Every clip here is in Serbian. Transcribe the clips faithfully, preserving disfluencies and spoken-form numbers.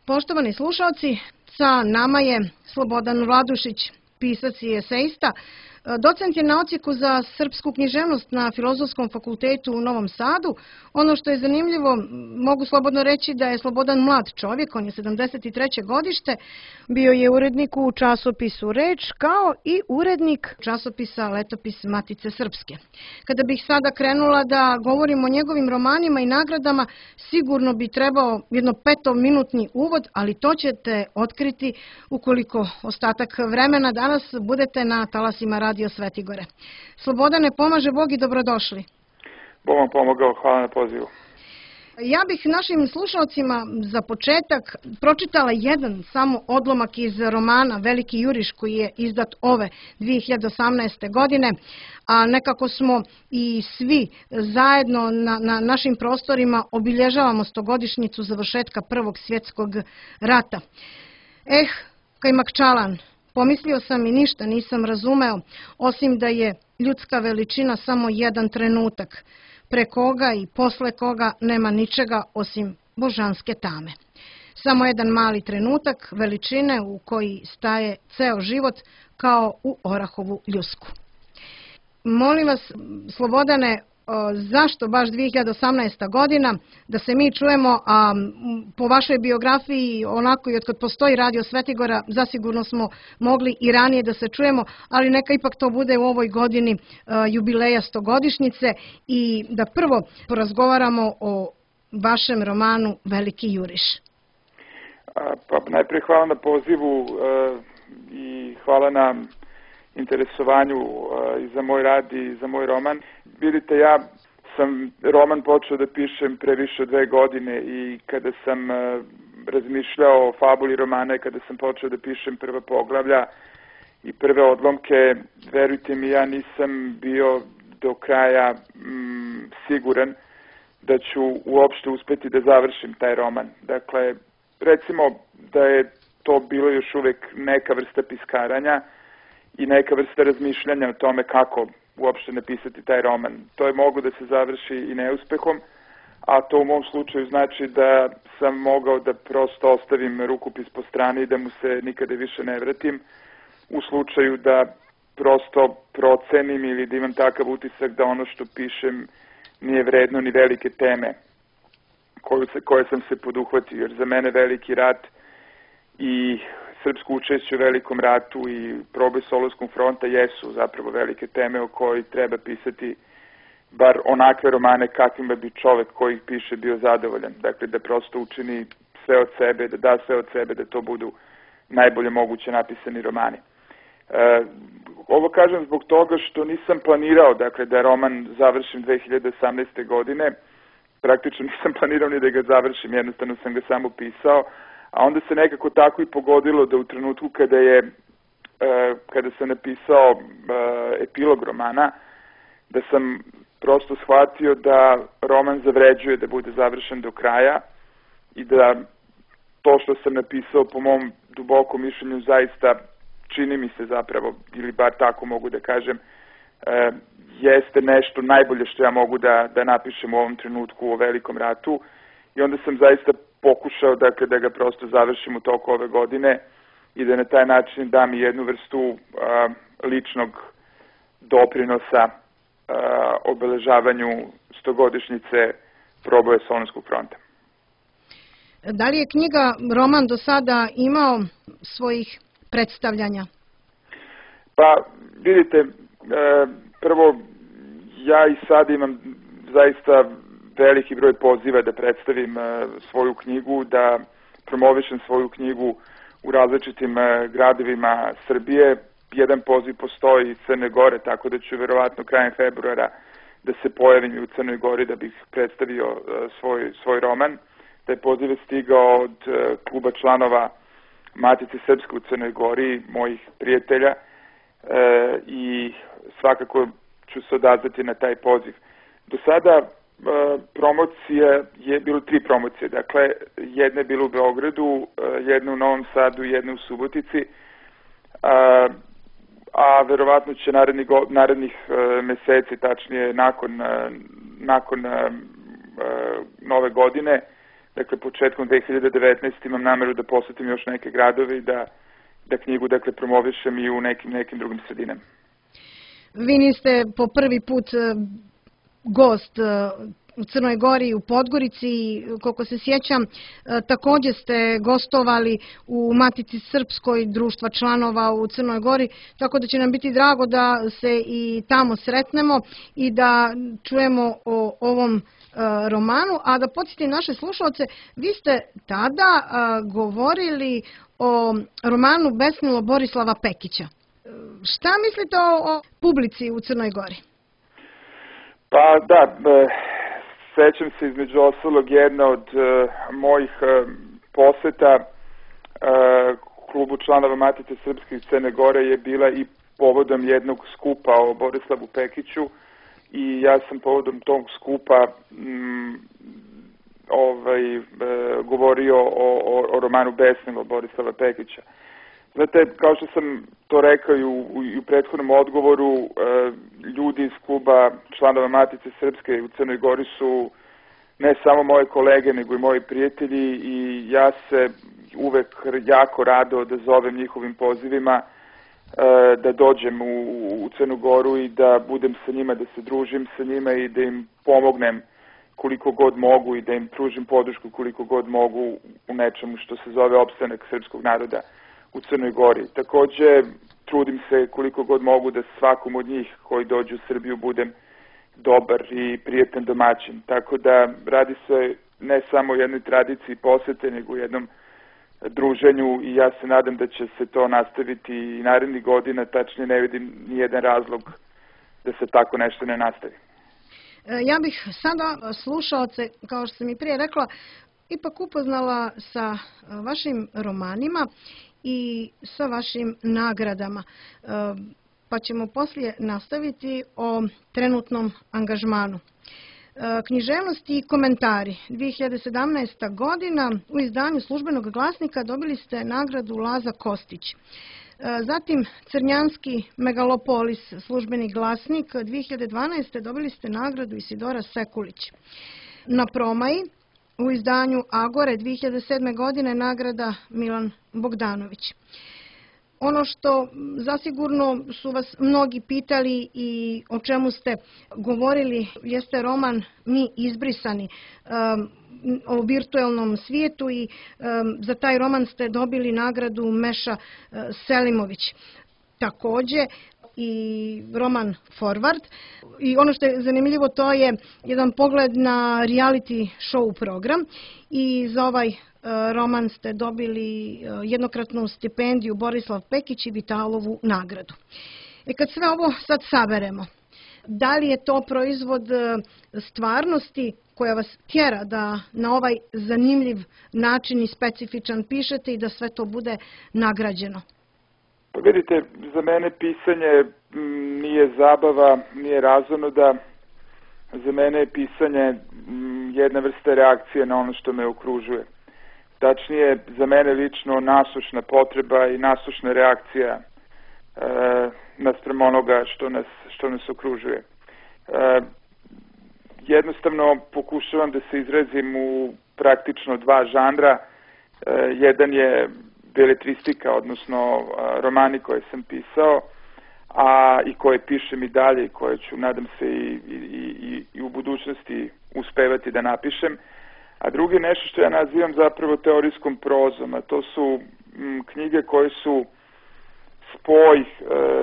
Poštovani slušalci, sa nama je Slobodan Vladušić, pisac i esejista. Docent je na odsjeku za srpsku književnost na Filozofskom fakultetu u Novom Sadu. Ono što je zanimljivo, mogu slobodno reći da je Slobodan mlad čovjek, on je sedamdeset treće godište, bio je urednik u časopisu Reč, kao i urednik časopisa Letopis Matice Srpske. Kada bih sada krenula da govorim o njegovim romanima i nagradama, sigurno bi trebao jedno petominutni uvod, ali to ćete otkriti ukoliko ostatak vremena danas budete na talasima Radio Svetigore. Slobodane, pomaže Bog i dobrodošli. Bog vam pomogao, hvala na pozivu. Ja bih našim slušalcima za početak pročitala jedan samo odlomak iz romana Veliki juriš koji je izdat ove dvije hiljade osamnaeste. godine, a nekako smo i svi zajedno na, na našim prostorima obilježavamo stogodišnjicu završetka Prvog svjetskog rata. Eh, Kajmakčalan, pomislio sam i ništa nisam razumeo, osim da je ljudska veličina samo jedan trenutak, pre koga i posle koga nema ničega osim božanske tame. Samo jedan mali trenutak veličine u koji staje ceo život kao u orahovu ljusku. Molim vas, Slobodane, zašto baš dvije hiljade osamnaesta. godina, da se mi čujemo, a po vašoj biografiji, onako i otkad postoji Radio Svetigora, zasigurno smo mogli i ranije da se čujemo, ali neka ipak to bude u ovoj godini jubileja stogodišnjice i da prvo porazgovaramo o vašem romanu Veliki juriš. Pa najprije hvala na pozivu i hvala na interesovanju i za moj rad i za moj roman. Vidite, ja sam roman počeo da pišem pre više od dve godine i kada sam razmišljao o fabuli romana i kada sam počeo da pišem prva poglavlja i prve odlomke, verujte mi, ja nisam bio do kraja mm, siguran da ću uopšte uspeti da završim taj roman. Dakle, recimo da je to bilo još uvek neka vrsta piskaranja i neka vrsta razmišljanja o tome kako uopšte napisati taj roman. To je mogo da se završi i neuspehom, a to u mom slučaju znači da sam mogao da prosto ostavim rukopis po strani i da mu se nikada više ne vratim, u slučaju da prosto procenim ili da imam takav utisak da ono što pišem nije vredno ni velike teme koje, se, koje sam se poduhvatio, jer za mene veliki rat i srpsko učešće u velikom ratu i proboj Solunskog fronta jesu zapravo velike teme o kojoj treba pisati bar onakve romane kakvima bi čovek koji ih piše bio zadovoljan. Dakle, da prosto učini sve od sebe, da da sve od sebe, da to budu najbolje moguće napisani romani. E, ovo kažem zbog toga što nisam planirao, dakle, da roman završim dve hiljade osamnaeste. godine. Praktično nisam planirao ni da ga završim, jednostavno sam ga samo pisao. A onda se nekako tako i pogodilo da u trenutku kada je kada sam napisao epilog romana, da sam prosto shvatio da roman zavređuje da bude završen do kraja i da to što sam napisao po mom dubokom mišljenju zaista čini mi se zapravo, ili bar tako mogu da kažem, jeste nešto najbolje što ja mogu da, da napišem u ovom trenutku o velikom ratu i onda sam zaista pokušao dakle, da ga prosto završim u toku ove godine i da na taj način dam i jednu vrstu a, ličnog doprinosa a, obeležavanju stogodišnjice proboja Solunskog fronta. Da li je knjiga, roman do sada imao svojih predstavljanja? Pa, vidite, e, prvo, ja i sad imam zaista veliki broj poziva da predstavim e, svoju knjigu, da promovišem svoju knjigu u različitim e, gradovima Srbije. Jedan poziv postoji iz Crne Gore, tako da ću verovatno krajem februara da se pojavim u Crnoj Gori da bih predstavio e, svoj, svoj roman. Taj poziv je stigao od e, kluba članova Matice Srpske u Crnoj Gori, mojih prijatelja, e, i svakako ću se odazvati na taj poziv. Do sada e, promocija je bilo tri promocije, dakle jedna je bila u Beogradu, e, jedna u Novom Sadu i jedna u Subotici, a, a verovatno će narednih, narednih e, meseci, tačnije nakon, e, nakon e, nove godine, dakle početkom dve hiljade devetnaeste. imam nameru da posetim još neke gradove i da, da knjigu dakle promovišem i u nekim, nekim drugim sredinama. Vi niste po prvi put gost u Crnoj Gori i u Podgorici, koliko se sjećam, također ste gostovali u Matici Srpskoj društva članova u Crnoj Gori, tako da će nam biti drago da se i tamo sretnemo i da čujemo o ovom romanu. A da podsjetim naše slušalce, vi ste tada govorili o romanu Besnilo Borislava Pekića. Šta mislite o, o publici u Crnoj Gori? Pa da, sećam se između ostalog jedna od uh, mojih uh, poseta uh, klubu članova Matice Srpske iz Crne Gore je bila i povodom jednog skupa o Borislavu Pekiću i ja sam povodom tog skupa mm, ovaj, uh, govorio o, o, o romanu Besnilo Borislava Pekića. Znate, kao što sam to rekao i u, i u prethodnom odgovoru, uh, ljudi iz kluba članova Matice Srpske u Crnoj Gori su ne samo moje kolege, nego i moji prijatelji i ja se uvek jako rado odazovem njihovim pozivima uh, da dođem u, u Crnu Goru i da budem sa njima, da se družim sa njima i da im pomognem koliko god mogu i da im pružim podršku koliko god mogu u nečemu što se zove opstanak srpskog naroda u Crnoj Gori. Također, trudim se koliko god mogu da svakom od njih koji dođu u Srbiju budem dobar i prijatan domaćin. Tako da radi se ne samo o jednoj tradiciji posete, nego u jednom druženju i ja se nadam da će se to nastaviti i narednih godina, tačnije ne vidim nijedan razlog da se tako nešto ne nastavi. Ja bih sada slušaoce, kao što sam i prije rekla, ipak upoznala sa vašim romanima i sa vašim nagradama. Pa ćemo poslije nastaviti o trenutnom angažmanu. Književnost i komentari. dvije hiljade sedamnaesta. godina u izdanju Službenog glasnika dobili ste nagradu Laza Kostić. Zatim Crnjanski Megalopolis, Službeni glasnik. dvije hiljade dvanaeste. dobili ste nagradu Isidora Sekulić. Na Promaji u izdanju Agore dvije hiljade sedme. godine nagrada Milan Bogdanović. Ono što zasigurno su vas mnogi pitali i o čemu ste govorili jeste roman Mi izbrisani um, o virtualnom svijetu i um, za taj roman ste dobili nagradu Meša uh, Selimović. Također i roman Forward. I ono što je zanimljivo, to je jedan pogled na reality show program i za ovaj roman ste dobili jednokratnu stipendiju Borislav Pekić i Vitalovu nagradu. I kad sve ovo sad saberemo, da li je to proizvod stvarnosti koja vas tjera da na ovaj zanimljiv način i specifičan pišete i da sve to bude nagrađeno? Pa vidite, za mene pisanje nije zabava, nije razonoda. Za mene je pisanje jedna vrsta reakcije na ono što me okružuje. Tačnije, za mene lično nasušna potreba i nasušna reakcija e, naspram onoga što nas, što nas okružuje. E, jednostavno pokušavam da se izrazim u praktično dva žanra. E, jedan je beletristika, odnosno romani koje sam pisao, a i koje pišem i dalje i koje ću, nadam se, i, i, i, i u budućnosti uspevati da napišem. A drugi nešto što ja nazivam zapravo teorijskom prozom, a to su m, knjige koje su spoj e,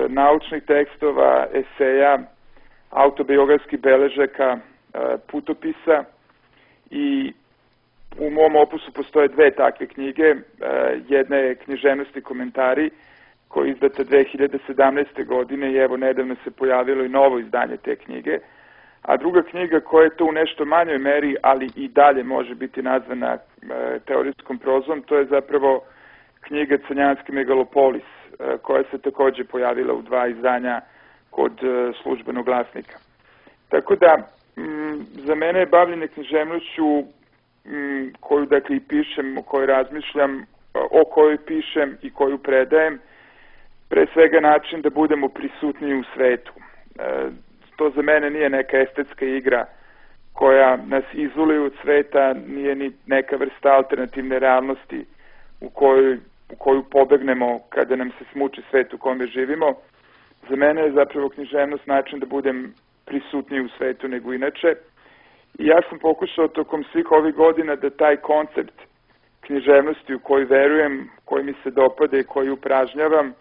naučnih tekstova, eseja, autobiografskih beležaka, e, putopisa i u mom opusu postoje dve takve knjige. E, jedna je Književnost i komentari, koja je izdata dve hiljade sedamnaeste. godine i evo nedavno se pojavilo i novo izdanje te knjige. A druga knjiga koja je to u nešto manjoj meri, ali i dalje može biti nazvana e, teorijskom prozom, to je zapravo knjiga Crnjanski Megalopolis, e, koja se također pojavila u dva izdanja kod e, Službenog glasnika. Tako da, m, za mene je bavljenje književnošću m, koju dakle i pišem, o kojoj razmišljam, o kojoj pišem i koju predajem, pre svega način da budemo prisutniji u svetu. E, To za mene nije neka estetska igra koja nas izoluje od sveta, nije ni neka vrsta alternativne realnosti u koju, u koju pobegnemo kada nam se smuči svet u kome živimo. Za mene je zapravo književnost način da budem prisutniji u svetu nego inače. I ja sam pokušao tokom svih ovih godina da taj koncept književnosti u koji verujem, koji mi se dopada i koji upražnjavam,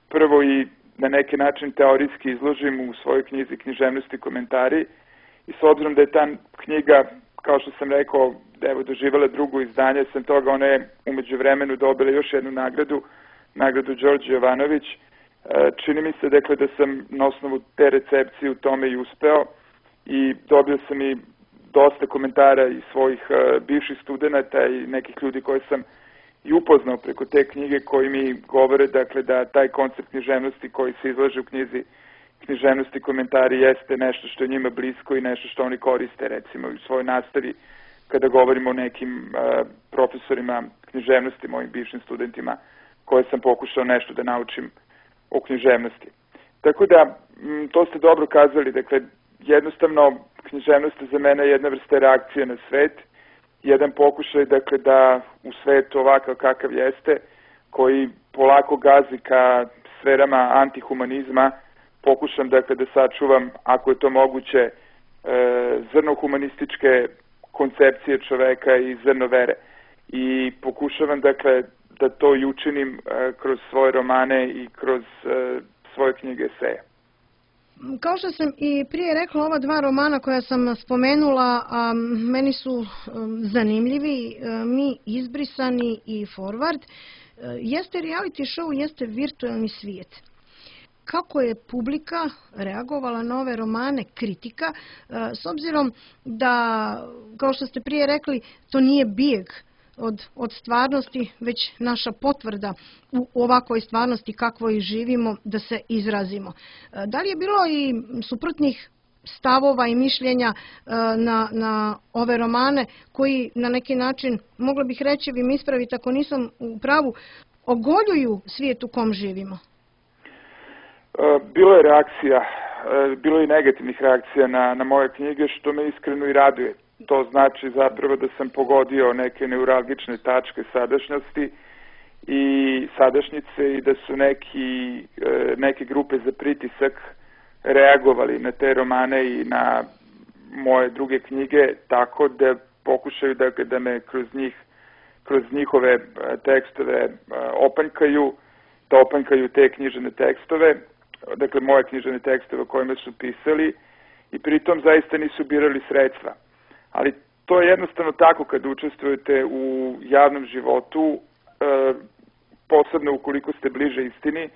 prvo i na neki način teorijski izložim u svojoj knjizi Književnosti komentari. I s obzirom da je ta knjiga, kao što sam rekao, da je doživjela drugo izdanje, sam toga ona je umeđu vremenu dobila još jednu nagradu, nagradu Đorđe Jovanović. Čini mi se dakle da sam na osnovu te recepcije u tome i uspeo i dobio sam i dosta komentara iz svojih uh, bivših studenta i nekih ljudi koje sam i upoznao preko te knjige koji mi govore dakle da taj koncept književnosti koji se izlaže u knjizi Književnosti komentari jeste nešto što je njima blisko i nešto što oni koriste recimo u svojoj nastavi kada govorimo o nekim uh, profesorima književnosti, mojim bivšim studentima koje sam pokušao nešto da naučim o književnosti. Tako da, m, to ste dobro kazali, dakle, jednostavno književnost je za mene jedna vrsta reakcije na svet, jedan pokušaj dakle da u svetu ovakav kakav jeste, koji polako gazi ka sferama antihumanizma, pokušam dakle da sačuvam, ako je to moguće, e, zrno humanističke koncepcije čoveka i zrno vere. I pokušavam dakle da to i učinim e, kroz svoje romane i kroz e, svoje knjige eseja. Kao što sam i prije rekla, ova dva romana koja sam spomenula, a, meni su a, zanimljivi, a, Mi izbrisani i Forward. A, jeste reality show, jeste virtualni svijet. Kako je publika reagovala na ove romane, kritika, a, s obzirom da, kao što ste prije rekli, to nije bijeg Od, od stvarnosti, već naša potvrda u ovakvoj stvarnosti kakvoj živimo da se izrazimo. Da li je bilo i suprotnih stavova i mišljenja na, na ove romane koji na neki način, mogla bih reći, vi mi ispravite ako nisam u pravu, ogoljuju svijet u kom živimo? Bilo je reakcija, bilo je i negativnih reakcija na, na moje knjige, što me iskreno i raduje. To znači zapravo da sam pogodio neke neuralgične tačke sadašnjosti i sadašnjice i da su neki, neke grupe za pritisak reagovali na te romane i na moje druge knjige tako da pokušaju da, da me kroz njih, kroz njihove tekstove opanjkaju, da opanjkaju te knjižene tekstove, dakle moje knjižene tekstove o kojima su pisali i pritom zaista nisu birali sredstva. Ali to je jednostavno tako kad učestvujete u javnom životu, e, posebno ukoliko ste bliže istini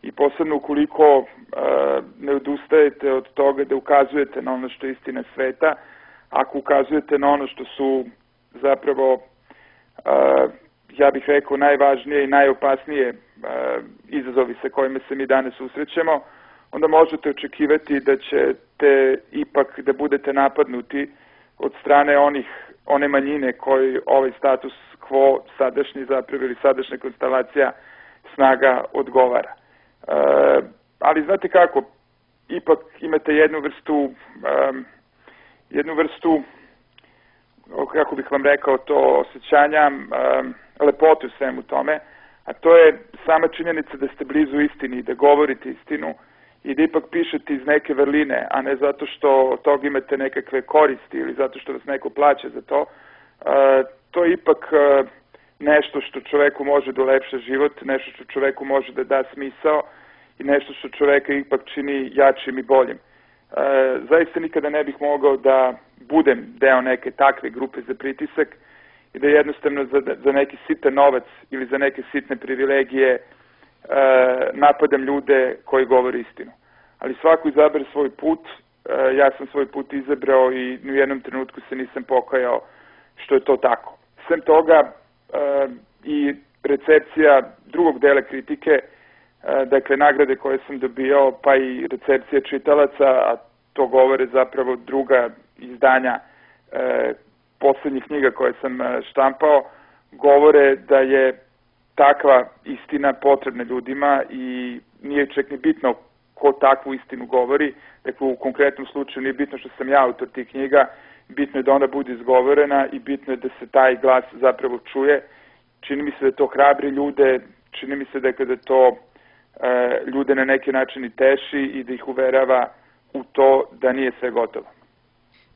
i posebno ukoliko e, ne odustajete od toga da ukazujete na ono što je istina sveta, ako ukazujete na ono što su zapravo, e, ja bih rekao, najvažnije i najopasnije e, izazovi sa kojima se mi danas susrećemo, onda možete očekivati da ćete ipak da budete napadnuti od strane onih, one manjine koji ovaj status quo sadašnji zapravo ili sadašnja konstelacija snaga odgovara. E, ali znate kako, ipak imate jednu vrstu, um, jednu vrstu, kako bih vam rekao, to osjećanja, um, lepote u svemu tome, a to je sama činjenica da ste blizu istini, da govorite istinu, i da ipak pišete iz neke vrline, a ne zato što od toga imate nekakve koristi ili zato što vas neko plaća za to, e, to je ipak e, nešto što čoveku može da ulepša život, nešto što čoveku može da da smisao i nešto što čoveka ipak čini jačim i boljim. E, zaista nikada ne bih mogao da budem deo neke takve grupe za pritisak i da jednostavno za, za neki sitan novac ili za neke sitne privilegije napadam ljude koji govore istinu. Ali svako izabere svoj put, ja sam svoj put izabrao i ni u jednom trenutku se nisam pokajao što je to tako. Sem toga i recepcija drugog dela kritike, dakle nagrade koje sam dobio, pa i recepcija čitalaca, a to govore zapravo druga izdanja poslednjih knjiga koje sam štampao, govore da je takva istina potrebna ljudima i nije čak ni bitno ko takvu istinu govori. Dakle, u konkretnom slučaju nije bitno što sam ja autor tih knjiga, bitno je da ona bude izgovorena i bitno je da se taj glas zapravo čuje. Čini mi se da to hrabri ljude, čini mi se da kada to e, ljude na neki način i teši i da ih uverava u to da nije sve gotovo.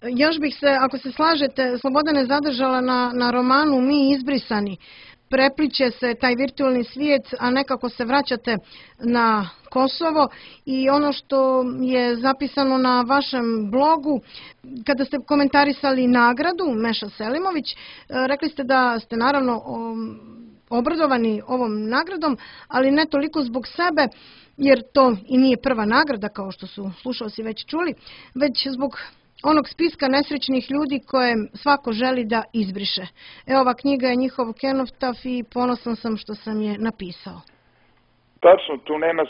Još bih se, ako se slažete, Slobodane, zadržala na, na romanu Mi izbrisani. Prepliče se taj virtualni svijet, a nekako se vraćate na Kosovo i ono što je zapisano na vašem blogu, kada ste komentarisali nagradu Meša Selimović, rekli ste da ste naravno obradovani ovom nagradom, ali ne toliko zbog sebe, jer to i nije prva nagrada, kao što su slušalci već čuli, već zbog onog spiska nesrećnih ljudi koje svako želi da izbriše. Evo, ova knjiga je njihov kenotaf i ponosan sam što sam je napisao. Tačno, tu nema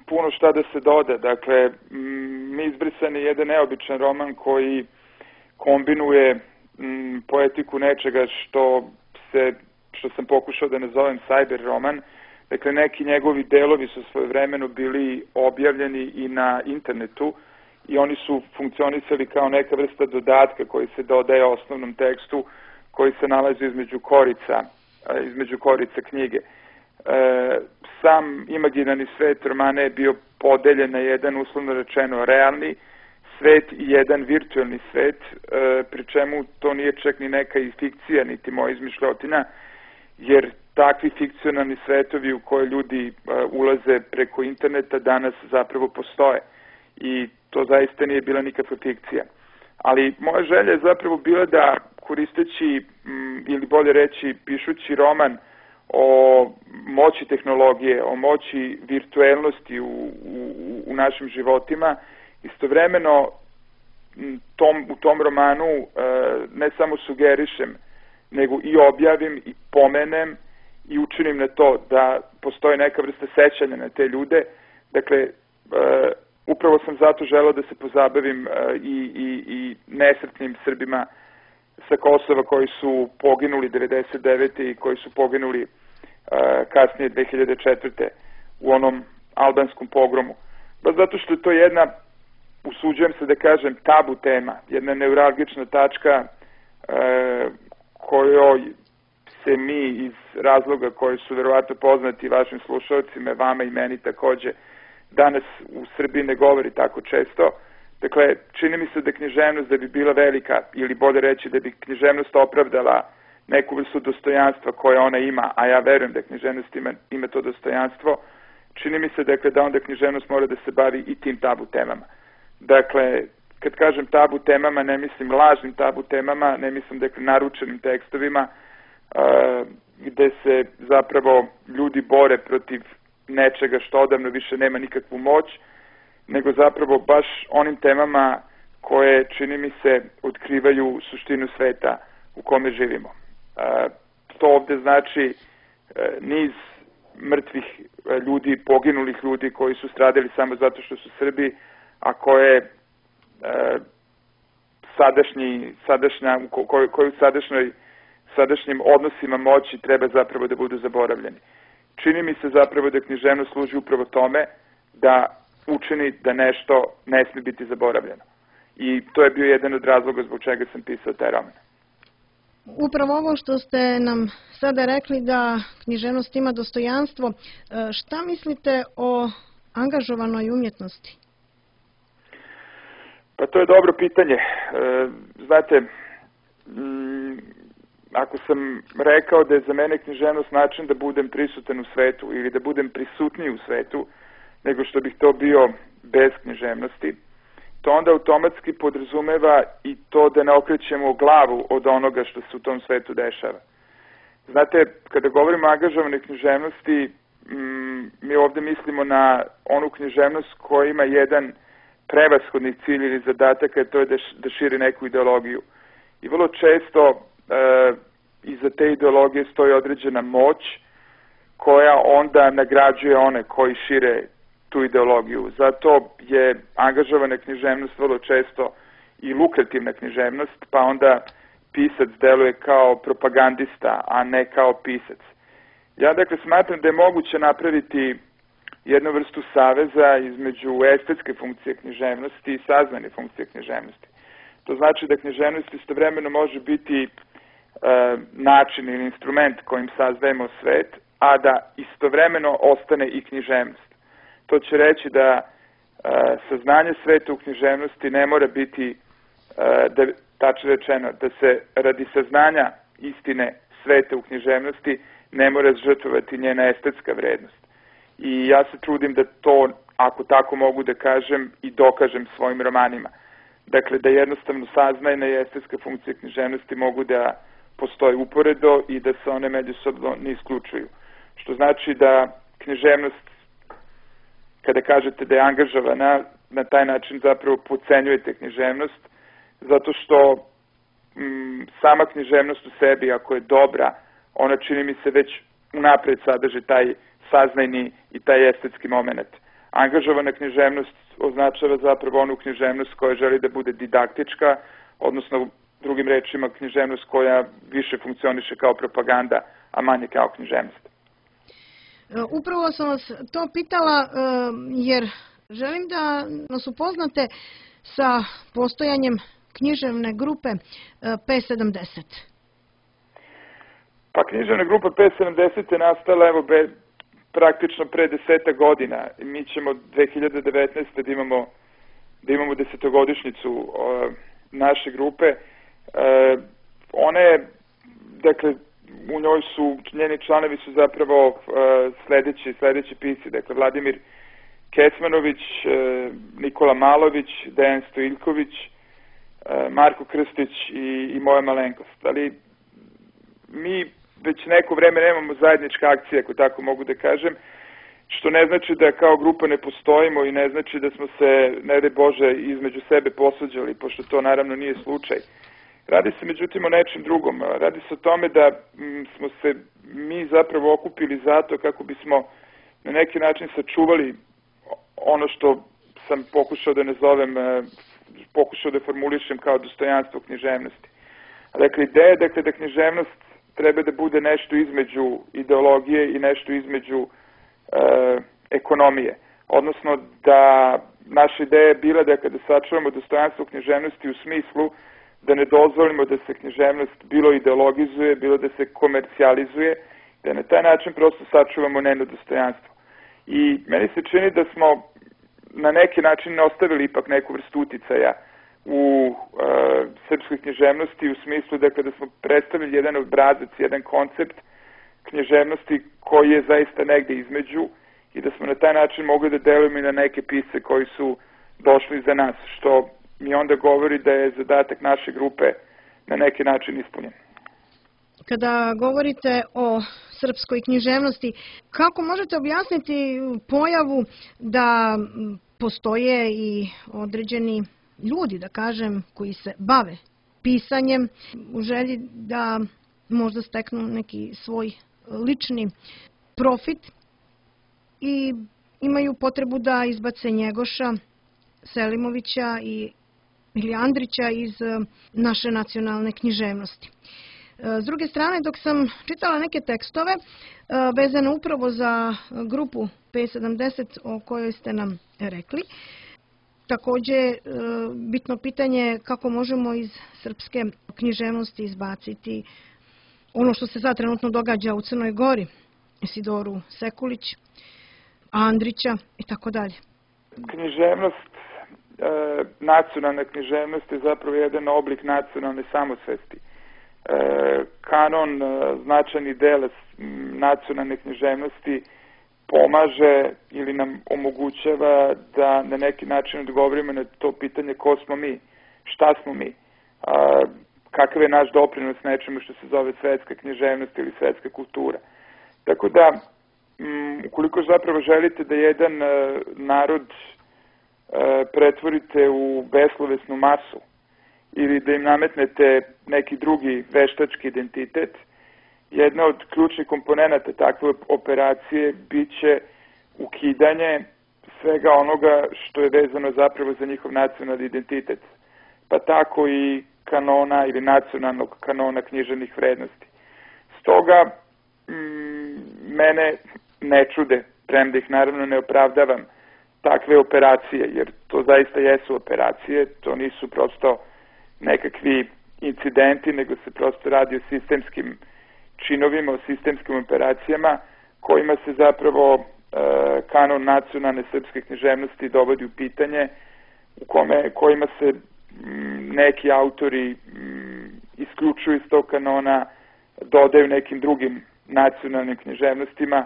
puno šta da se doda. Dakle, Mi izbrisani je jedan neobičan roman koji kombinuje m, poetiku nečega što se, što sam pokušao da nazovem cyber roman. Dakle, neki njegovi delovi su svojevremeno bili objavljeni i na internetu, i oni su funkcionisali kao neka vrsta dodatka koji se dodaje osnovnom tekstu koji se nalazi između korica, između korica knjige. Sam imaginarni svet romana je bio podeljen na jedan, uslovno rečeno, realni svet i jedan virtualni svet, pri čemu to nije čak ni neka fikcija, niti moja izmišljotina, jer takvi fikcionalni svetovi u koje ljudi ulaze preko interneta danas zapravo postoje. I to zaista nije bila nikakva fikcija. Ali moja želja je zapravo bila da, koristeći, ili bolje reći, pišući roman o moći tehnologije, o moći virtuelnosti u, u, u našim životima, istovremeno tom, u tom romanu ne samo sugerišem, nego i objavim i pomenem i učinim na to da postoji neka vrsta sećanja na te ljude. Dakle, upravo sam zato želeo da se pozabavim i, i, i nesretnim Srbima sa Kosova koji su poginuli devedeset devete i koji su poginuli kasnije dve hiljade četvrte u onom albanskom pogromu. Baš zato što je to jedna, usuđujem se da kažem, tabu tema, jedna neuralgična tačka kojoj se mi iz razloga koji su verovatno poznati vašim slušalcima, vama i meni takođe, danas u Srbiji ne govori tako često. Dakle, čini mi se da književnost da bi bila velika, ili bolje reći da bi književnost opravdala neku vrstu dostojanstva koje ona ima, a ja verujem da književnost ima, ima to dostojanstvo, čini mi se dakle, da onda književnost mora da se bavi i tim tabu temama. Dakle, kad kažem tabu temama, ne mislim lažnim tabu temama, ne mislim dakle, naručenim tekstovima, uh, gde se zapravo ljudi bore protiv nečega što odavno više nema nikakvu moć, nego zapravo baš onim temama koje, čini mi se, otkrivaju suštinu sveta u kome živimo. E, to ovde znači e, niz mrtvih ljudi, poginulih ljudi koji su stradali samo zato što su Srbi, a koje e, sadašnji, sadašnja, koji, koji u sadašnjoj, sadašnjim odnosima moći treba zapravo da budu zaboravljeni. Čini mi se zapravo da književnost služi upravo tome da učini da nešto ne smije biti zaboravljeno. I to je bio jedan od razloga zbog čega sam pisao taj roman. Upravo ovo što ste nam sada rekli da književnost ima dostojanstvo, šta mislite o angažovanoj umjetnosti? Pa to je dobro pitanje. Znate, ako sam rekao da je za mene književnost način da budem prisutan u svetu ili da budem prisutniji u svetu nego što bih to bio bez književnosti, to onda automatski podrazumeva i to da ne okrećemo glavu od onoga što se u tom svetu dešava. Znate, kada govorimo o angažovanoj književnosti, mi ovde mislimo na onu književnost koja ima jedan prevashodni cilj ili zadatak, a to je da širi neku ideologiju. I vrlo često e, iza te ideologije stoji određena moć koja onda nagrađuje one koji šire tu ideologiju. Zato je angažovana književnost vrlo često i lukrativna književnost, pa onda pisac deluje kao propagandista, a ne kao pisac. Ja dakle smatram da je moguće napraviti jednu vrstu saveza između estetske funkcije književnosti i saznane funkcije književnosti. To znači da književnost istovremeno može biti e, način ili instrument kojim saznajemo svet, a da istovremeno ostane i književnost. To će reći da e, saznanje sveta u književnosti ne mora biti, e, da, tačno rečeno, da se radi saznanja istine sveta u književnosti ne mora žrtvovati njena estetska vrednost. I ja se trudim da to, ako tako mogu da kažem, i dokažem svojim romanima. Dakle, da jednostavno saznajna i estetska funkcija književnosti mogu da postoje uporedo i da se one međusobno ne isključuju. Što znači da književnost, kada kažete da je angažovana, na taj način zapravo podcenjujete književnost, zato što m, sama književnost u sebi, ako je dobra, ona čini mi se već unapred sadrži taj saznajni i taj estetski moment. Angažovana književnost označava zapravo onu književnost koja želi da bude didaktička, odnosno drugim rečima književnost koja više funkcioniše kao propaganda, a manje kao književnost. Upravo sam vas to pitala jer želim da nas upoznate sa postojanjem književne grupe P sedamdeset. Pa književna grupa P sedamdeset je nastala evo be, praktično pre deseta godina. Mi ćemo dve hiljade devetnaeste da imamo, da imamo desetogodišnjicu uh, naše grupe. Uh, one, dakle, u njoj su, njeni članovi su zapravo uh, sledeći, sledeći pisci, dakle, Vladimir Kecmanović, uh, Nikola Malović, Dejan Stojiljković, uh, Marko Krstić i, i moja malenkost. Ali mi već neko vreme nemamo zajedničke akcije, ako tako mogu da kažem, što ne znači da kao grupa ne postojimo i ne znači da smo se, ne daj Bože, između sebe posuđali, pošto to naravno nije slučaj. Radi se međutim o nečem drugom. Radi se o tome da m, smo se mi zapravo okupili zato kako bismo na neki način sačuvali ono što sam pokušao da nazovem, pokušao da formulišem kao dostojanstvo književnosti. Dakle, ideja dakle, da književnost treba da bude nešto između ideologije i nešto između e, ekonomije. Odnosno da naša ideja je bila da kada sačuvamo dostojanstvo književnosti u smislu da ne dozvolimo da se književnost bilo ideologizuje, bilo da se komercijalizuje, da na taj način prosto sačuvamo njeno dostojanstvo. I meni se čini da smo na neki način ostavili ipak neku vrstu uticaja u e, srpskoj književnosti u smislu da kada smo predstavili jedan obrazac, jedan koncept književnosti koji je zaista negde između i da smo na taj način mogli da delujemo i na neke pisce koji su došli za nas, što mi onda govori da je zadatak naše grupe na neki način ispunjen. Kada govorite o srpskoj književnosti, kako možete objasniti pojavu da postoje i određeni ljudi, da kažem, koji se bave pisanjem u želji da možda steknu neki svoj lični profit i imaju potrebu da izbace Njegoša, Selimovića i ili Andrića iz naše nacionalne književnosti. S druge strane, dok sam čitala neke tekstove vezane upravo za grupu P sedamdeset o kojoj ste nam rekli, takođe bitno pitanje kako možemo iz srpske književnosti izbaciti ono što se sad trenutno događa u Crnoj Gori, Isidoru Sekulić, Andrića i tako dalje. Književnost, e, nacionalna književnost je zapravo jedan oblik nacionalne samosvesti. E, kanon, e, značajni deo nacionalne književnosti pomaže ili nam omogućava da na neki način odgovorimo na to pitanje ko smo mi, šta smo mi, a, kakav je naš doprinos nečemu što se zove svetska književnost ili svetska kultura. Tako da, m, ukoliko zapravo želite da jedan a, narod a, pretvorite u beslovesnu masu ili da im nametnete neki drugi veštački identitet, jedna od ključnih komponenata takve operacije biće ukidanje svega onoga što je vezano zapravo za njihov nacionalni identitet, pa tako i kanona ili nacionalnog kanona književnih vrednosti. Stoga, m, mene ne čude, premda ih naravno ne opravdavam, takve operacije, jer to zaista jesu operacije, to nisu prosto nekakvi incidenti, nego se prosto radi o sistemskim činovima, o sistemskim operacijama kojima se zapravo e, kanon nacionalne srpske književnosti dovodi u pitanje, u kome, kojima se m, neki autori m, isključuju iz tog kanona, dodaju nekim drugim nacionalnim književnostima, e,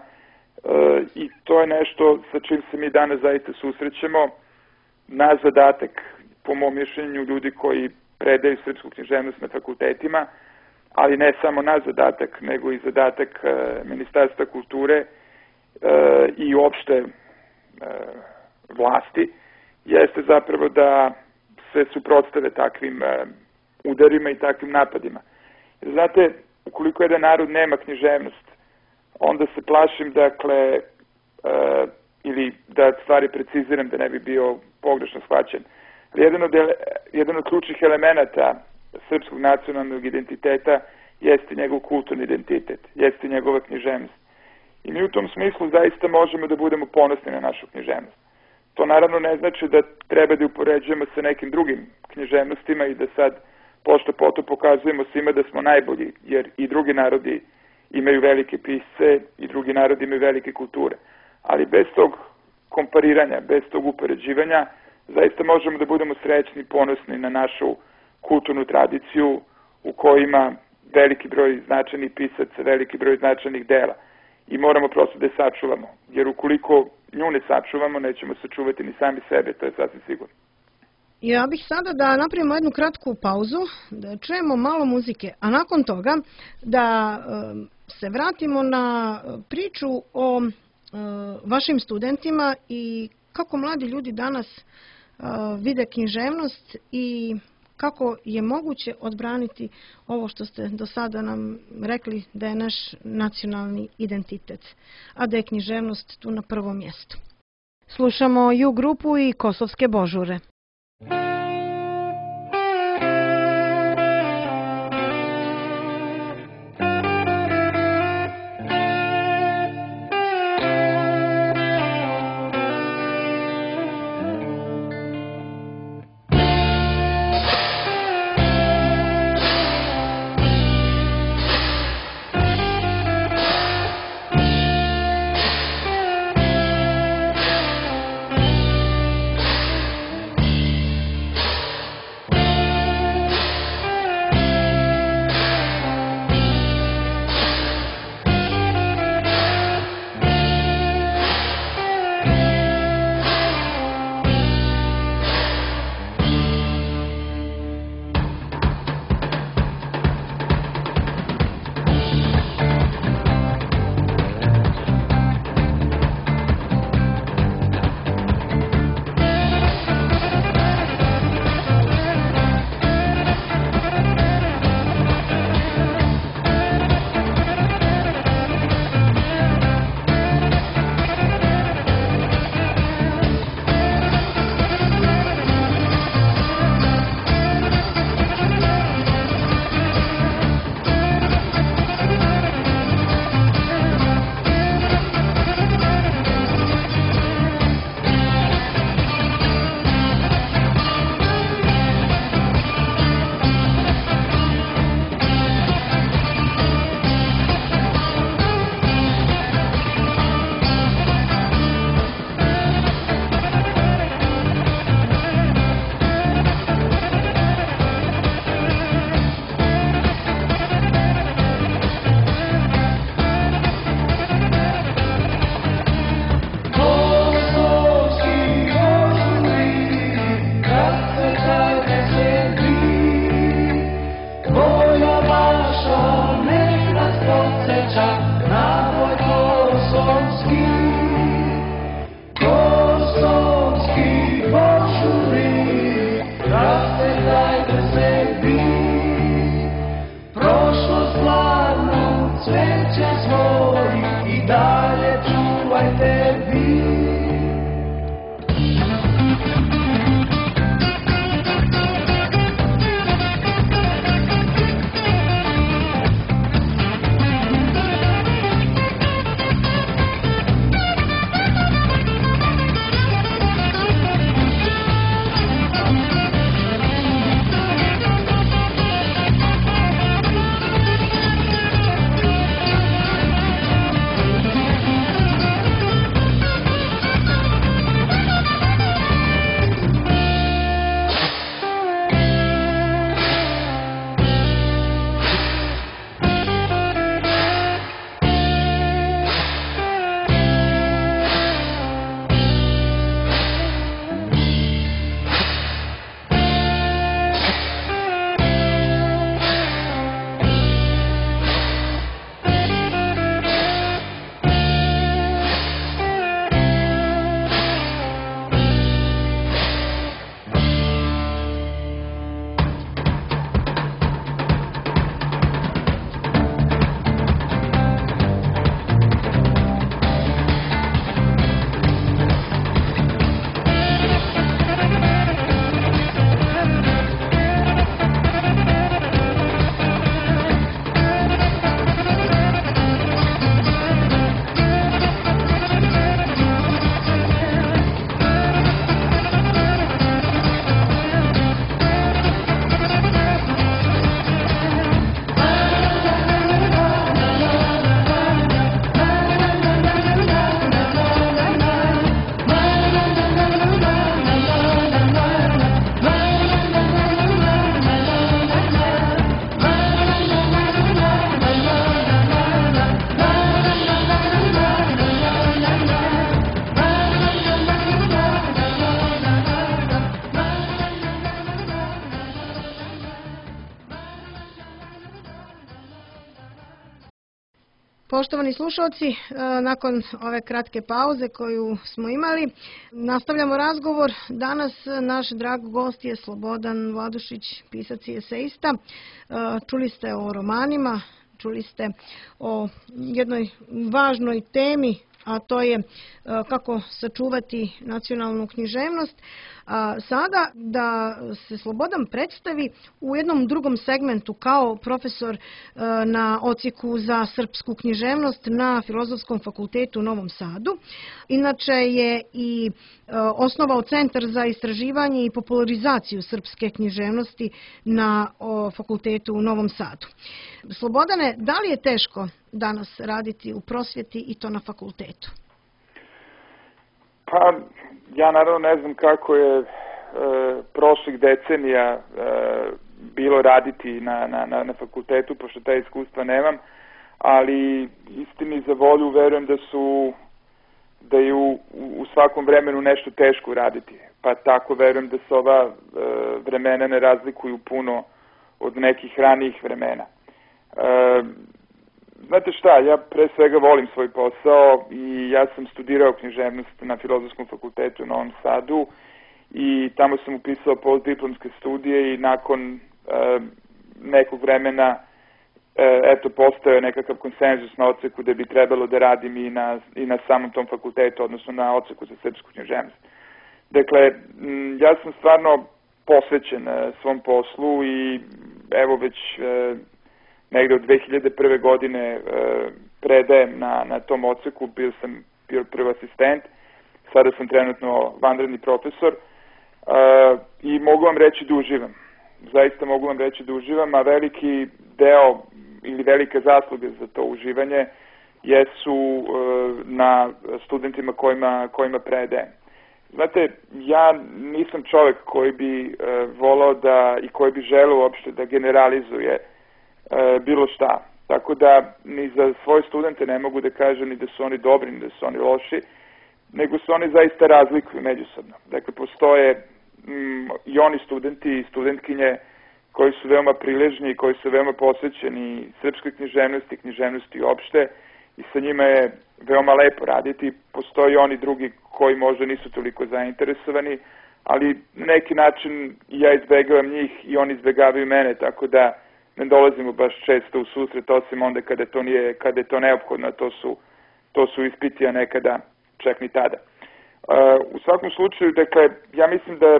i to je nešto sa čim se mi danas zaista susrećemo. Naš zadatak, po mom mišljenju, ljudi koji predaju srpsku književnost na fakultetima, ali ne samo naš zadatak, nego i zadatak e, Ministarstva kulture e, i uopšte e, vlasti, jeste zapravo da se suprotstave takvim e, udarima i takvim napadima. Jer znate, ukoliko jedan narod nema književnost, onda se plašim, dakle, e, ili da stvari preciziram da ne bi bio pogrešno shvaćen. Jedan od, jedan od ključnih elemenata srpskog nacionalnog identiteta jeste njegov kulturni identitet, jeste njegova književnost. I mi u tom smislu zaista možemo da budemo ponosni na našu književnost. To naravno ne znači da treba da upoređujemo sa nekim drugim književnostima i da sad pošto poto pokazujemo svima da smo najbolji, jer i drugi narodi imaju velike pisce i drugi narodi imaju velike kulture. Ali bez tog kompariranja, bez tog upoređivanja, zaista možemo da budemo srećni i ponosni na našu kulturnu tradiciju u kojoj ima veliki broj značajnih pisaca, veliki broj značajnih dela. I moramo prosto da je sačuvamo, jer ukoliko nju ne sačuvamo, nećemo sačuvati ni sami sebe, to je sasvim sigurno. Ja bih sada da napravimo jednu kratku pauzu, da čujemo malo muzike, a nakon toga da se vratimo na priču o vašim studentima i kako mladi ljudi danas vide književnost i kako je moguće odbraniti ovo što ste do sada nam rekli da je naš nacionalni identitet, a da je književnost tu na prvom mjestu. Slušamo Ju grupu i Kosovske božure. Poštovani slušalci, nakon ove kratke pauze koju smo imali, nastavljamo razgovor. Danas naš drag gost je Slobodan Vladušić, pisac i esejista. Čuli ste o romanima, čuli ste o jednoj važnoj temi, a to je kako sačuvati nacionalnu književnost. A sada da se Slobodan predstavi u jednom drugom segmentu kao profesor na odsjeku za srpsku književnost na Filozofskom fakultetu u Novom Sadu. Inače je i osnovao Centar za istraživanje i popularizaciju srpske književnosti na fakultetu u Novom Sadu. Slobodane, da li je teško danas raditi u prosvjeti i to na fakultetu? Pa, ja naravno ne znam kako je e, prošlih decenija e, bilo raditi na, na, na fakultetu, pošto ta iskustva nemam, ali istini za volju verujem da su da je u, u svakom vremenu nešto teško raditi. Pa tako verujem da se ova e, vremena ne razlikuju puno od nekih ranijih vremena. E, Znate šta, ja pre svega volim svoj posao i ja sam studirao književnost na Filozofskom fakultetu u Novom Sadu i tamo sam upisao postdiplomske studije i nakon e, nekog vremena e, eto postao nekakav konsenzus na odseku da bi trebalo da radim i na, i na samom tom fakultetu, odnosno na odseku za srpsku književnost. Dakle, m, ja sam stvarno posvećen e, svom poslu i evo već E, negde od dve hiljade prve. godine e, predajem na, na tom odseku, bio sam bio prvi asistent, sada sam trenutno vanredni profesor e, i mogu vam reći da uživam. Zaista mogu vam reći da uživam, a veliki deo ili velike zasluge za to uživanje jesu e, na studentima kojima, kojima predajem. Znate, ja nisam čovek koji bi e, volao da i koji bi želeo uopšte da generalizuje bilo šta. Tako da ni za svoje studente ne mogu da kažem ni da su oni dobri, ni da su oni loši, nego se oni zaista razlikuju međusobno. Dakle, postoje mm, i oni studenti i studentkinje koji su veoma priležni, koji su veoma posvećeni srpskoj književnosti, književnosti uopšte i sa njima je veoma lepo raditi. Postoje i oni drugi koji možda nisu toliko zainteresovani, ali na neki način ja izbegavam njih i oni izbegavaju mene, tako da ne dolazimo baš često u susret, osim onda kada to nije, kada je to neophodno, to su, to su ispiti, a nekada čak ni tada. Uh, u svakom slučaju, dakle, ja mislim da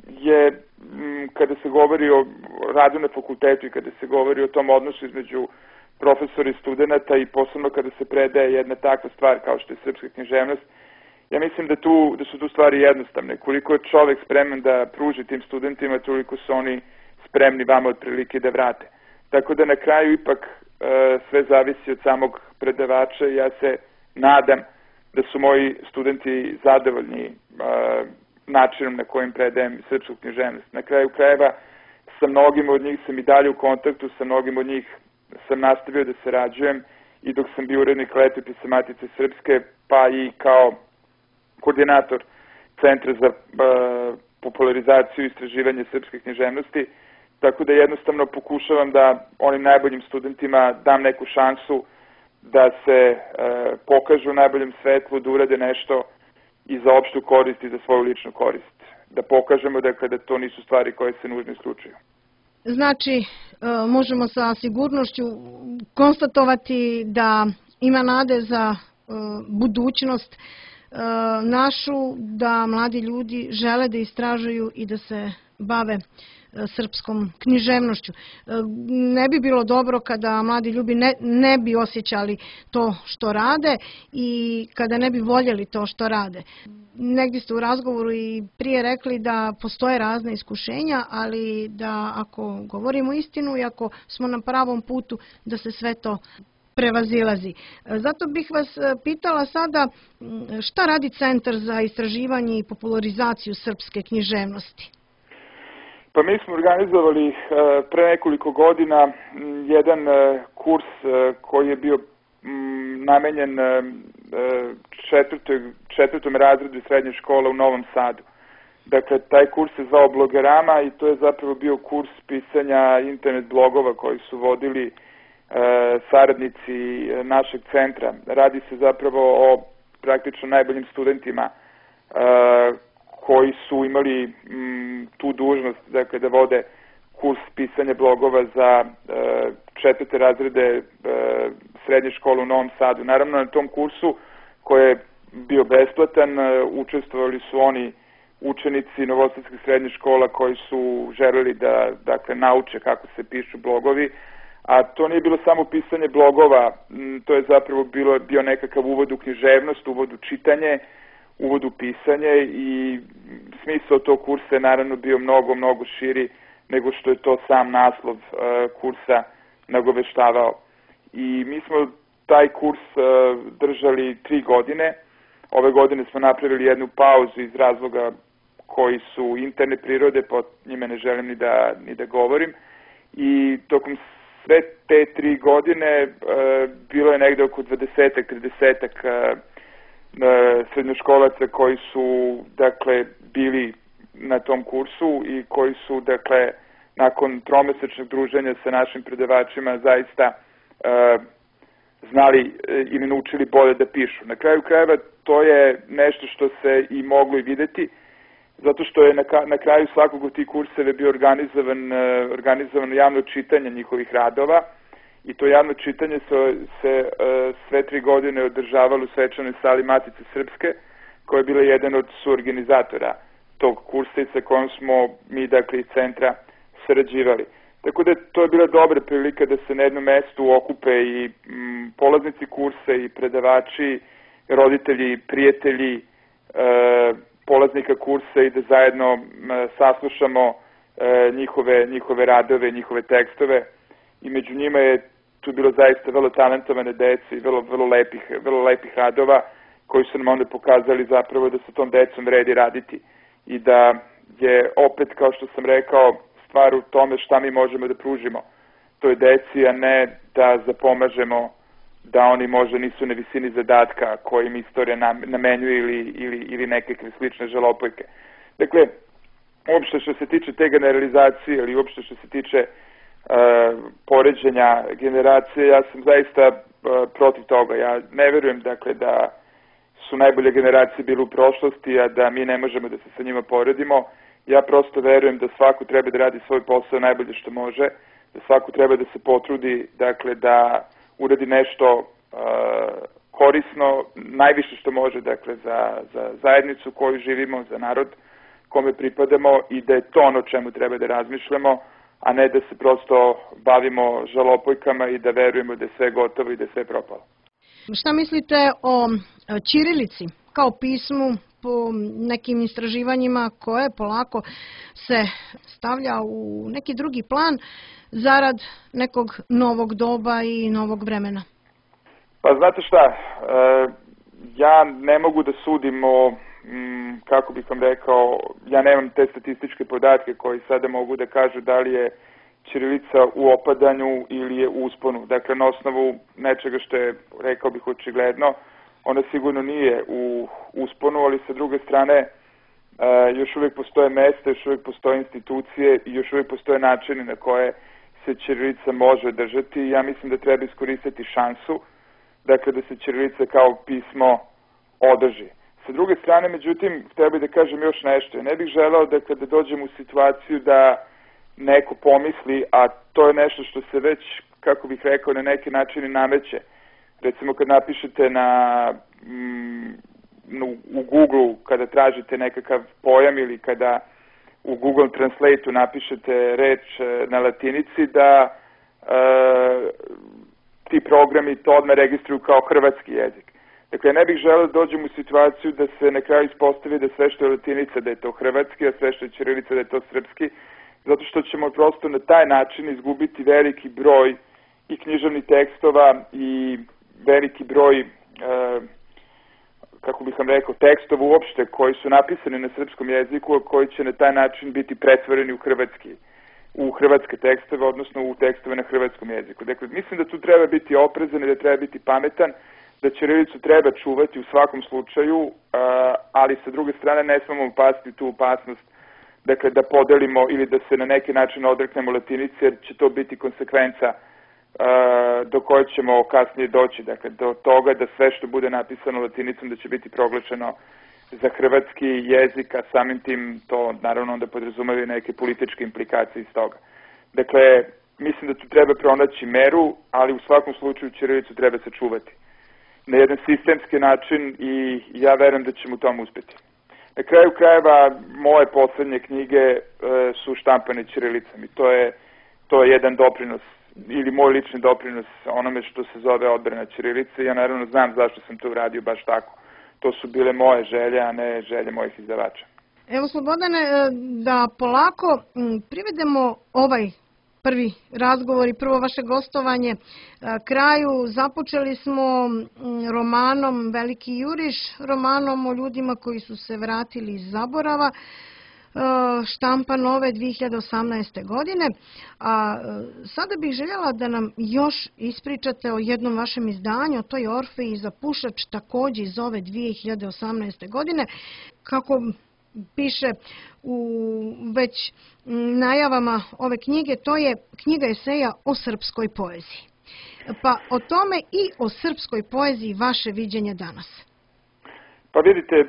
je, m, kada se govori o radu na fakultetu i kada se govori o tom odnosu između profesora i studenta i posebno kada se predaje jedna takva stvar kao što je srpska književnost, ja mislim da, tu, da su tu stvari jednostavne. Koliko je čovek spreman da pruži tim studentima, toliko su oni spremni vama otprilike da vrate. Tako da na kraju ipak e, sve zavisi od samog predavača i ja se nadam da su moji studenti zadovoljni e, načinom na kojim predajem srpsku književnost. Na kraju krajeva sa mnogim od njih sam i dalje u kontaktu, sa mnogim od njih sam nastavio da sarađujem i dok sam bio urednik Letopisa Matice Srpske, pa i kao koordinator Centra za e, popularizaciju i istraživanje srpske književnosti. Tako da jednostavno pokušavam da onim najboljim studentima dam neku šansu da se e, pokažu u najboljem svetlu, da urade nešto i za opštu korist i za svoju ličnu korist. Da pokažemo dakle, da to nisu stvari koje se nužno isključuju. Znači, e, možemo sa sigurnošću konstatovati da ima nade za e, budućnost e, našu, da mladi ljudi žele da istražuju i da se bave srpskom književnošću. Ne bi bilo dobro kada mladi ljudi ne, ne bi osjećali to što rade i kada ne bi voljeli to što rade. Negdje ste u razgovoru i prije rekli da postoje razne iskušenja, ali da ako govorimo istinu i ako smo na pravom putu, da se sve to prevazilazi. Zato bih vas pitala sada šta radi Centar za istraživanje i popularizaciju srpske književnosti? Pa mi smo organizovali pre nekoliko godina jedan kurs koji je bio namenjen četvrtoj, četvrtom razredu srednje škole u Novom Sadu. Dakle, taj kurs se zvao Blogerama i to je zapravo bio kurs pisanja internet blogova koji su vodili saradnici našeg centra. Radi se zapravo o praktično najboljim studentima koji su imali tu dužnost, dakle, da vode kurs pisanja blogova za četvrte razrede srednje škole u Novom Sadu. Naravno, na tom kursu koji je bio besplatan, učestvovali su oni učenici novosadskih srednjih škola koji su želeli da, dakle, nauče kako se pišu blogovi, a to nije bilo samo pisanje blogova, to je zapravo bilo, bio nekakav uvod u književnost, uvod u čitanje, uvod u pisanje i smisao tog kursa je naravno bio mnogo, mnogo širi nego što je to sam naslov kursa nagoveštavao. I mi smo taj kurs držali tri godine. Ove godine smo napravili jednu pauzu iz razloga koji su interne prirode, po njime ne želim ni da, ni da govorim. I tokom sve te tri godine bilo je negde oko dvadesetak, tridesetak srednjoškolaca koji su, dakle, bili na tom kursu i koji su, dakle, nakon tromesečnog druženja sa našim predavačima zaista e, znali ili naučili bolje da pišu. Na kraju krajeva to je nešto što se i moglo i videti, zato što je na, na kraju svakog od tih kurseva bio organizovan, organizovano javno čitanje njihovih radova i to javno čitanje se, se sve tri godine održavalo u svečanoj sali Matice Srpske, koja je bila jedan od suorganizatora tog kursa i sa kojom smo mi, dakle, iz centra sarađivali. Tako da to je bila dobra prilika da se na jednom mestu okupe i m, polaznici kursa i predavači, roditelji, prijatelji e, polaznika kursa i da zajedno m, saslušamo e, njihove, njihove radove, njihove tekstove i među njima je tu bilo zaista vrlo talentovane dece i vrlo, vrlo, lepih, vrlo lepih radova koji su nam onda pokazali zapravo da sa tom decom vredi raditi i da je opet, kao što sam rekao, stvar u tome šta mi možemo da pružimo toj deci, a ne da zapomažemo da oni možda nisu na visini zadatka koji im istorija namenjuje ili, ili, ili nekakve slične žalopojke. Dakle, uopšte što se tiče te generalizacije ili uopšte što se tiče uh, poređenja generacije, ja sam zaista uh, protiv toga. Ja ne verujem, dakle, da su najbolje generacije bile u prošlosti, a da mi ne možemo da se sa njima poredimo. Ja prosto verujem da svako treba da radi svoj posao najbolje što može, da svako treba da se potrudi, dakle, da uradi nešto uh, korisno, najviše što može, dakle, za, za zajednicu u kojoj živimo, za narod kome pripadamo i da je to ono čemu treba da razmišljamo, a ne da se prosto bavimo žalopojkama i da verujemo da je sve gotovo i da je sve propalo. Šta mislite o ćirilici kao pismu po nekim istraživanjima koje polako se stavlja u neki drugi plan zarad nekog novog doba i novog vremena? Pa znate šta, ja ne mogu da sudim o, kako bih vam rekao, ja nemam te statističke podatke koji sada mogu da kažu da li je ćirilica u opadanju ili je u usponu. Dakle, na osnovu nečega što je, rekao bih, očigledno, ona sigurno nije u usponu, ali sa druge strane još uvijek postoje mesta, još uvijek postoje institucije i još uvijek postoje načini na koje se ćirilica može držati. Ja mislim da treba iskoristiti šansu, dakle, da se ćirilica kao pismo održi. Sa druge strane, međutim, htio bih da kažem još nešto. Ja ne bih želeo da kada dođem u situaciju da neko pomisli, a to je nešto što se već, kako bih rekao, na neki način nameće. Recimo kad napišete na, mm, u Google, kada tražite nekakav pojam ili kada u Google Translate-u napišete reč na latinici, da e, ti programi to odmah registruju kao hrvatski jezik. Dakle, ne bih želeo da dođem u situaciju da se na kraju ispostavi da sve što je latinica da je to hrvatski, a sve što je ćirilica da je to srpski, zato što ćemo prosto na taj način izgubiti veliki broj i književnih tekstova i veliki broj, e, kako bih vam rekao, tekstova uopšte koji su napisani na srpskom jeziku, koji će na taj način biti pretvoreni u hrvatski, u hrvatske tekstove, odnosno u tekstove na hrvatskom jeziku. Dakle, mislim da tu treba biti oprezan i da treba biti pametan, da ćirilicu treba čuvati u svakom slučaju, ali sa druge strane ne smemo upasti tu opasnost, dakle, da podelimo ili da se na neki način odreknemo latinice, jer će to biti konsekvenca do koje ćemo kasnije doći. Dakle, do toga da sve što bude napisano latinicom da će biti proglašeno za hrvatski jezik, a samim tim to naravno onda podrazumeva neke političke implikacije iz toga. Dakle, mislim da tu treba pronaći meru, ali u svakom slučaju ćirilicu treba sačuvati na jedan sistemski način i ja verujem da ćemo u tom uspeti. Na kraju krajeva, moje poslednje knjige e, su štampane ćirilicom i to je, to je jedan doprinos ili moj lični doprinos onome što se zove odbrana ćirilice. Ja naravno znam zašto sam to uradio baš tako. To su bile moje želje, a ne želje mojih izdavača. Evo, Slobodane, da polako privedemo ovaj prvi razgovor i prvo vaše gostovanje kraju. Započeli smo romanom Veliki juriš, romanom o ljudima koji su se vratili iz zaborava, štampan ove dve hiljade osamnaeste. godine. A sada bih željela da nam još ispričate o jednom vašem izdanju, to je Orfej i zapušač, takođe iz ove dve hiljade osamnaeste. godine. Kako piše u već najavama ove knjige, to je knjiga eseja o srpskoj poeziji. Pa o tome i o srpskoj poeziji vaše viđenje danas. Pa vidite,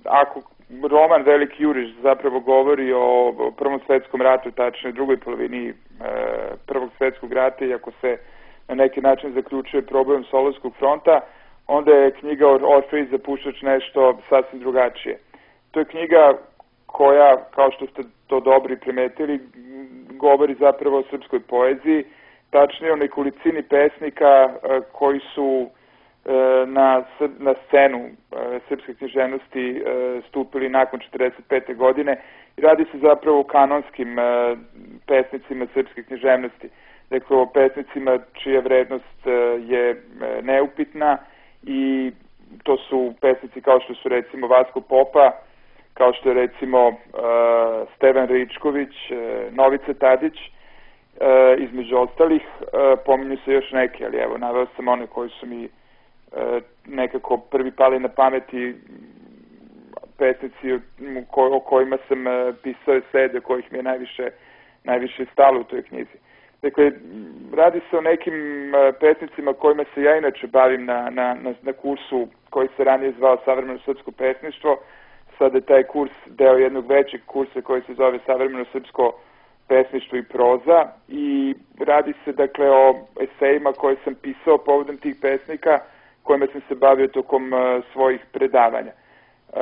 ako roman Veliki juriš zapravo govori o Prvom svetskom ratu, tačnije drugoj polovini Prvog svetskog rata, i ako se na neki način zaključuje problem Solunskog fronta, onda je knjiga Orfej i zapušač nešto sasvim drugačije. To je knjiga koja, kao što ste to dobro primetili, govori zapravo o srpskoj poeziji, tačnije o nekolicini pesnika koji su na, na scenu srpske književnosti stupili nakon četrdeset pete. godine i radi se zapravo o kanonskim pesnicima srpske književnosti. Dakle, o pesnicima čija vrednost je neupitna i to su pesnici kao što su recimo Vasko Popa, kao što je recimo uh, Stevan Ričković, uh, Novica Tadić, uh, između ostalih. Uh, pominju se još neke, ali evo, naveo sam one koji su mi uh, nekako prvi pali na pameti, pesnici ko, o kojima sam uh, pisao esej, do kojih mi je najviše, najviše stalo u toj knjizi. Dakle, radi se o nekim uh, pesnicima kojima se ja inače bavim na, na, na, na kursu koji se ranije zvao Savremeno srpsko pesništvo. Sada je taj kurs deo jednog većeg kursa koji se zove Savremeno srpsko pesništvo i proza i radi se dakle o esejima koje sam pisao povodom tih pesnika kojima sam se bavio tokom uh, svojih predavanja. Uh,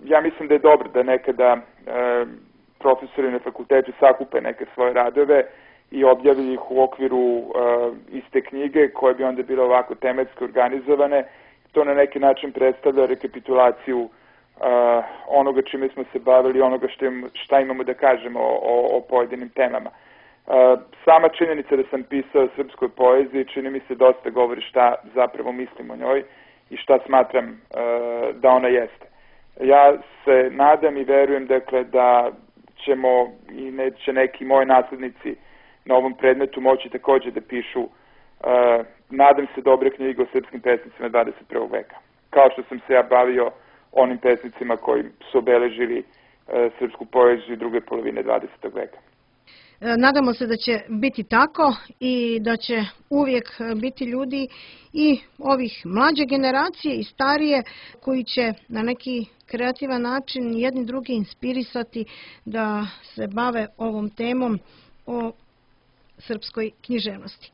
ja mislim da je dobro da nekada uh, profesori na fakultetu sakupe neke svoje radove i objavili ih u okviru uh, iste knjige koje bi onda bile ovako tematski organizovane. To na neki način predstavlja rekapitulaciju Uh, onoga čime smo se bavili, onoga što im, šta imamo da kažemo o, o, o pojedinim temama. Uh, sama činjenica da sam pisao o srpskoj poeziji čini mi se dosta govori šta zapravo mislim o njoj i šta smatram uh, da ona jeste. Ja se nadam i verujem dakle da ćemo i neće neki moji naslednici na ovom predmetu moći takođe da pišu uh, nadam se dobre knjige o srpskim pesnicima dvadeset prvog. veka. Kao što sam se ja bavio onim pesnicima koji su obeležili e, srpsku poeziju druge polovine dvadesetog. veka. Nadamo se da će biti tako i da će uvijek biti ljudi i ovih mlađe generacije i starije koji će na neki kreativan način jedni drugi inspirisati da se bave ovom temom o srpskoj književnosti.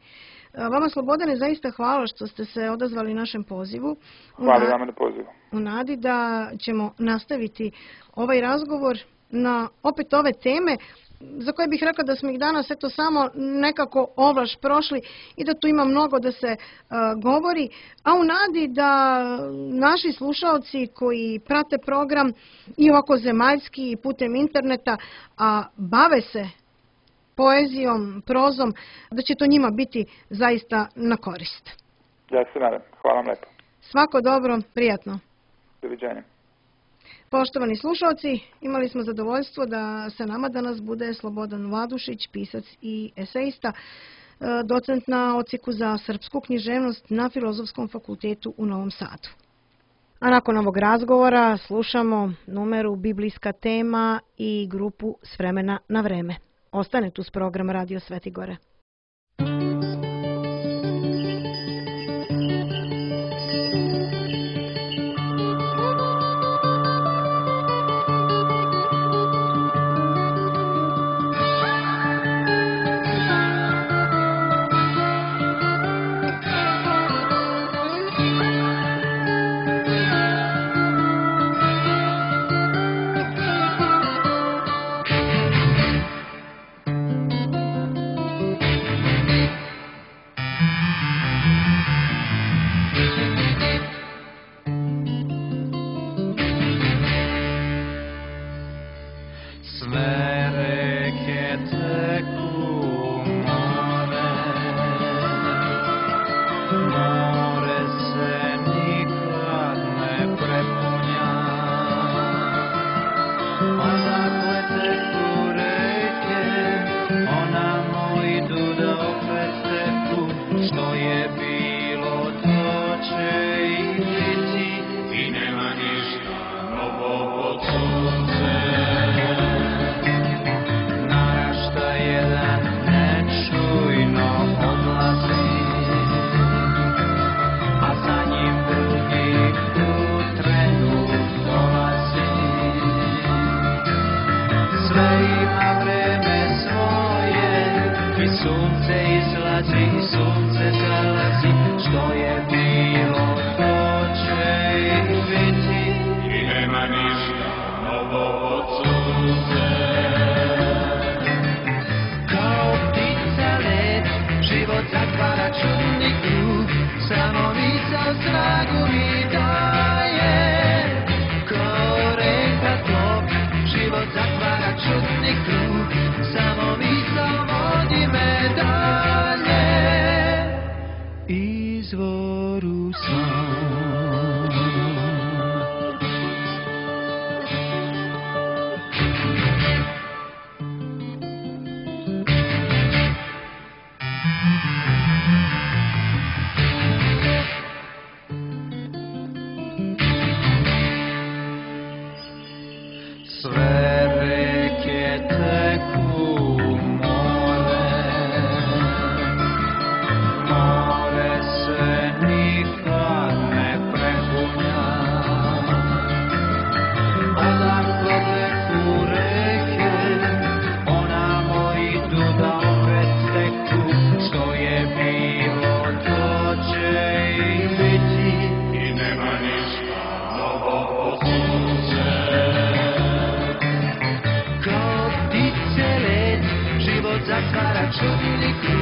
Vama, Slobodane, zaista hvala što ste se odazvali našem pozivu. Hvala vama na pozivu. U nadi da ćemo nastaviti ovaj razgovor na opet ove teme za koje bih rekla da smo ih danas eto samo nekako ovlaš prošli i da tu ima mnogo da se uh, govori, a u nadi da naši slušaoci koji prate program i ovako zemaljski i putem interneta, a bave se poezijom, prozom, da će to njima biti zaista na korist. Ja se nadam. Hvala vam lepo. Svako dobro, prijatno. Doviđenja. Poštovani slušalci, imali smo zadovoljstvo da sa nama danas bude Slobodan Vladušić, pisac i esejista, docent na odsjeku za srpsku književnost na Filozofskom fakultetu u Novom Sadu. A nakon ovog razgovora slušamo numeru Biblijska tema i grupu S vremena na vreme. Ostane tu s program Radio Svetigore. mi daje, ko reka tok, život zatvara čudni krug, samo misao vodi me dalje, izvoru sam. Sve reke teku u more, more se nikad ne prepunja. Odakle teku reke, onamo idu da opet teku, što je bilo to će i biti i nema ništa novo pod suncem. Kao ptice led, život zatvara čudni krug.